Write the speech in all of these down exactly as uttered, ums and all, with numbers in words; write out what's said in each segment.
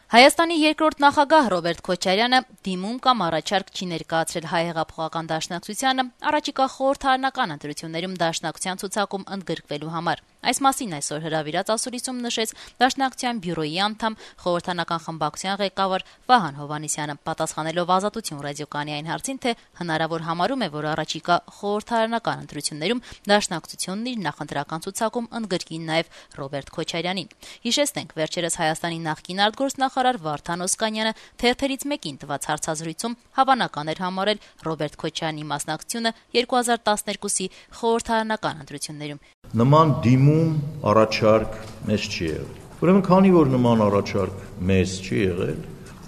Հայաստանի երկրորդ նախագահ Ռոբերտ Քոչարյանը դիմում կամ առաջարկ չի ներկայացրել Հայ հեղափոխական դաշնակցությանը առաջիկա խորհրդարանական ընտրություններում դաշնակցության ցուցակում ընդգրկվելու համար։ Այս մասին այսօր հրավիրած ասուլիսում նշեց Դաշնակցության բյուրոյի անդամ խորհրդարանական խմբակցության ղեկավար Վահան Հովհաննիսյանը, պատասխանելով Ազատություն ռադիոկայանի այն հարցին, թե հնարավոր համարում է, որ առաջիկա խորհրդարանական ընտրություններում դաշնակցությունն իր նախընտրական ցուցակում ընդգրկի նաև Ռոբերտ Քոչարյանին։ Հիշեցնենք, վերջերս Հայաստանի նախկին արտգործնախարար Վարդան Օսկանյանը թերթերից մեկին տված հարցազրույցում հավանական էր համարել Ռոբերտ Քոչարյանի մասնակցությունը երկու հազար տասներկուսի խորհրդարանական ընտրություններում։ Նման դիմում առաջարկ մեզ չի եղել։ Ուրեմն քանի որ նման առաջարկ մեզ չի եղել,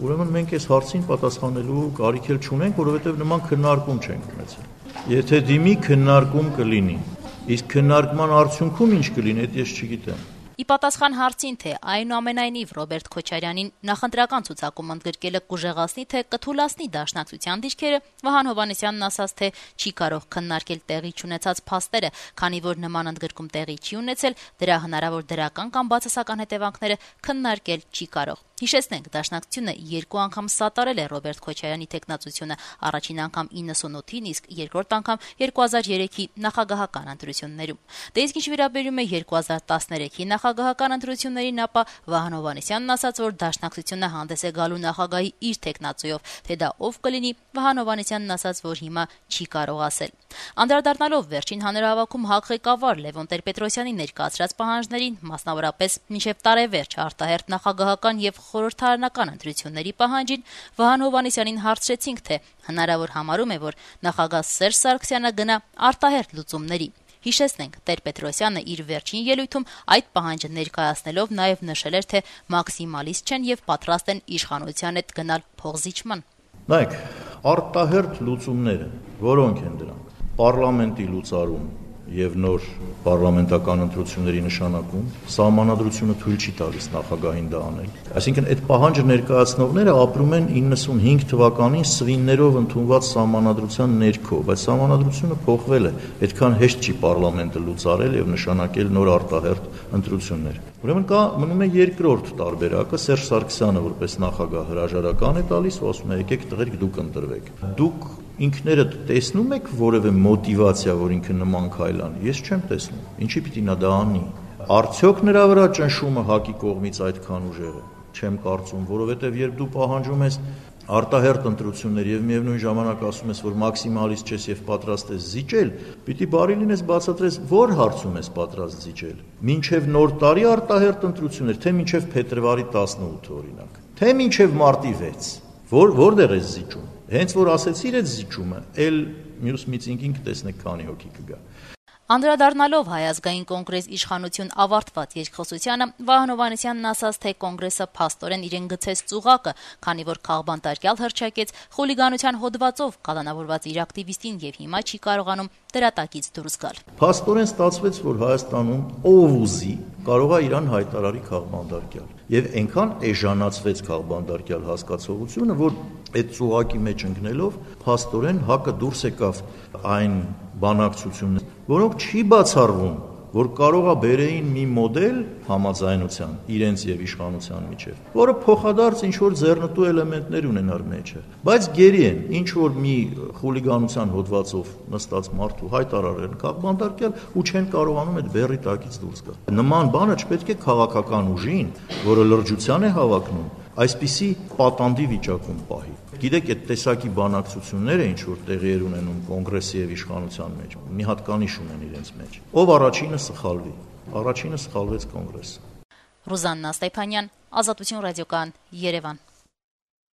ուրեմն մենք այս հարցին պատասխանելու կարիք էլ չունենք, որովհետև նման քննարկում չենք ունեցել։ Եթե դիմի քննարկում կլինի, իսկ քննարկման արդյունքում ինչ կլինի, դա ես չգիտեմ։ Ի պատասխան հարցին, թե այնուամենայնիվ Ռոբերտ Քոչարյանին նախընտրական ցուցակում ընդգրկելը կուժեղացնի, թե կթուլացնի դաշնակցության դիրքերը, Վահան Հովհաննիսյանն ասաց, թե չի կարող քննարկել տեղի չունեցած փաստերը, քանի որ նման ընդգրկում տեղի չի ունեցել, դրա հնարավոր դրական կամ բացասական հետևանքները քննարկել չի կարող։ Հիշեցնենք, Դաշնակցությունը երկու անգամ սատարել է Ռոբերտ Քոչարյանի թեկնածությունը, առաջին անգամ իննսունութին, իսկ երկրորդ անգամ երկու հազար երեքի նախագահական ընտրություններում։ Դե իսկ ինչ վերաբերում է երկու հազար տասներեքի նախագահական ընտրություններին, ապա Վահան Հովհաննիսյանն ասաց, որ Դաշնակցությունը հանդես է գալու նախագահի իր թեկնածուով, թե դա ով կլինի, Վահան Հովհաննիսյանն ասաց, որ հիմա չի կարող ասել։ Անդրադառնալով վերջին հանրահավաքում ՀԱԿ ղեկավար Լևոն Տեր-Պետրոսյանի ներկայացրած պահանջներին, մասնավորապես մինչև տարեվերջ արտահերթ նախագահական եւ խորհրդարանական ընտրությունների պահանջին, Վահան Հովհաննիսյանին հարցրեցինք, թե հնարավոր համարում է, որ նախագահ Սերժ Սարգսյանը գնա արտահերթ լուծումների։ Հիշեցնենք, Տեր-Պետրոսյանը իր վերջին ելույթում այդ պահանջը ներկայացնելով նաև նշել էր, թե մաքսիմալիստ չեն եւ պատրաստ են իշխանության հետ գնալ փոխզիջման։ Նայեք, արտահերթ լուծումները, որոնք են դրանք, պարլամենտի լուծարում եւ նոր պարլամենտական ընտրությունների նշանակում, սահմանադրությունը թույլ չի տալիս նախագահին դա անել։ Այսինքն այդ պահանջը ներկայացնողները ապրում են իննսունհինգ թվականին սվիններով ընդունված սահմանադրության ներքո, բայց սահմանադրությունը փոխվել է, այդքան հեշտ չի պարլամենտը լուծարել եւ նշանակել նոր արտահերթ ընտրություններ։ Ուրեմն կա մնում է երկրորդ տարբերակը, Սերժ Սարգսյանը որպես նախագահ հրաժարական է տալիս ու ասում է եկեք տղերք դուք ընտրվեք։ Դուք ինքներդ տեսնում եք որևէ մոտիվացիա, որ ինքը նման քայլ անի։ Ես չեմ տեսնում։ Ինչի պիտի նա դա անի։ Արդյոք նրա վրա ճնշումը ՀԱԿ-ի կողմից այդքան ուժեղ է։ Չեմ կարծում, որովհետև երբ դու պահանջում ես արտահերթ ընտրություններ եւ միևնույն ժամանակ ասում ես, որ մաքսիմալիստ չես եւ պատրաստ ես զիջել, պիտի բարի լինես բացատրես, որ հարցում ես պատրաստ զիջել։ Մինչեւ նոր տարի արտահերթ ընտրություններ, թե մինչեւ փետրվարի տասնութը օրինակ, թե մինչեւ մարտի վեց։ Որ որտեղ ես զիջում։ Հենց որ ասեցիր այդ զիջումը, էլ մյուս միծինգին կտեսնեք քանի հոգի կգա։ Անդրադառնալով Հայ ազգային կոնգրես իշխանություն ավարտված երկխոսությանը, Վահան Հովհաննիսյանն ասաց, թե կոնգրեսը փաստորեն իրեն գցեց ծուղակը, քանի որ քաղբանտարկյալ հռչակեց խուլիգանության հոդվածով կալանավորված իր ակտիվիստին եւ հիմա չի կարողանում դրա տակից դուրս գալ։ Փաստորեն ստացվեց, որ Հայաստանում ով ուզի կարող է իրան հայտարարի քաղբանտարկյալ։ Եվ այնքան էժանացվեց քաղբանտարկյալ հասկացողությունը, որ այդ ծուղակի մեջ ընկնելով փաստորեն ՀԱԿ-ը դուրս եկավ այն բանակցություններ, որոնք չի բացառվում, որ կարող է բերեին մի մոդել համաձայնության իրենց եւ իշխանության միջեւ, որը փոխադարձ ինչ որ ձեռնտու էլեմենտներ ունենար մեջը, բայց գերի են ինչ որ մի խուլիգանության հոդվածով նստած մարդու հայտարարեն քաղբանտարկյալ ու չեն կարողանում այդ բեռի տակից դուրս գալ։ Նման բանը չպետք է քաղաքական ուժին, որը լրջության է հավակնում, այսպիսի պատանդի վիճակում պահի։ Գիտեք, այդ տեսակի բանակցությունները ինչ որ տեղի էր ունենում կոնգրեսի եւ իշխանության մեջ, մի հատ կանիշ ունեն իրենց մեջ։ Ով առաջինը սխալվի։ Առաջինը սխալվեց կոնգրեսը։ Ռուզաննա Ստեփանյան, Ազատություն ռադիոկայան, Երևան։